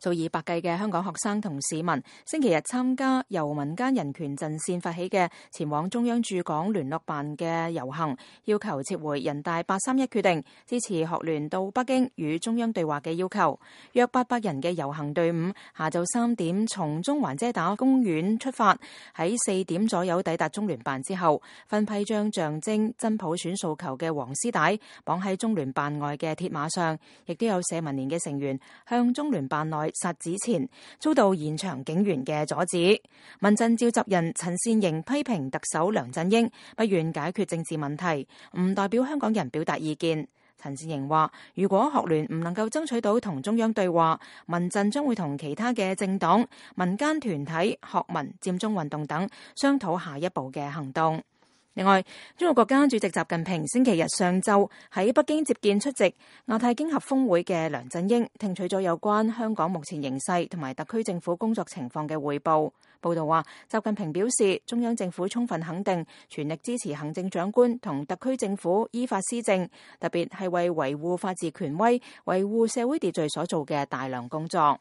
數以百計嘅香港學生同市民星期日參加由民間人權陣線發起嘅前往中央駐港聯絡辦嘅遊行，要求撤回人大831決定，支持學聯到北京與中央對話嘅要求。約800人嘅遊行隊伍下晝3點從中環遮打公園出發，喺4點左右抵達中聯辦之後，分批將象徵真普選訴求嘅黃絲帶綁喺中聯辦外嘅鐵馬上，亦都有社民連嘅成員向中聯辦內撒紙錢，遭到現場警員嘅阻止。民陣召集人陳善盈批評特首梁振英不願解決政治問題，唔代表香港人表達意見。陳善盈話：如果學聯唔能夠爭取到同中央對話，民陣將會同其他嘅政黨、民間團體、學民、佔中運動等商討下一步嘅行動。另外，中國國家主席習近平星期日上晝喺北京接見出席亞太經合峰會嘅梁振英，聽取咗有關香港目前形勢同埋特區政府工作情況嘅匯報。報道話，習近平表示，中央政府充分肯定、全力支持行政長官同特區政府依法施政，特別係為維護法治權威、維護社會秩序所做嘅大量工作。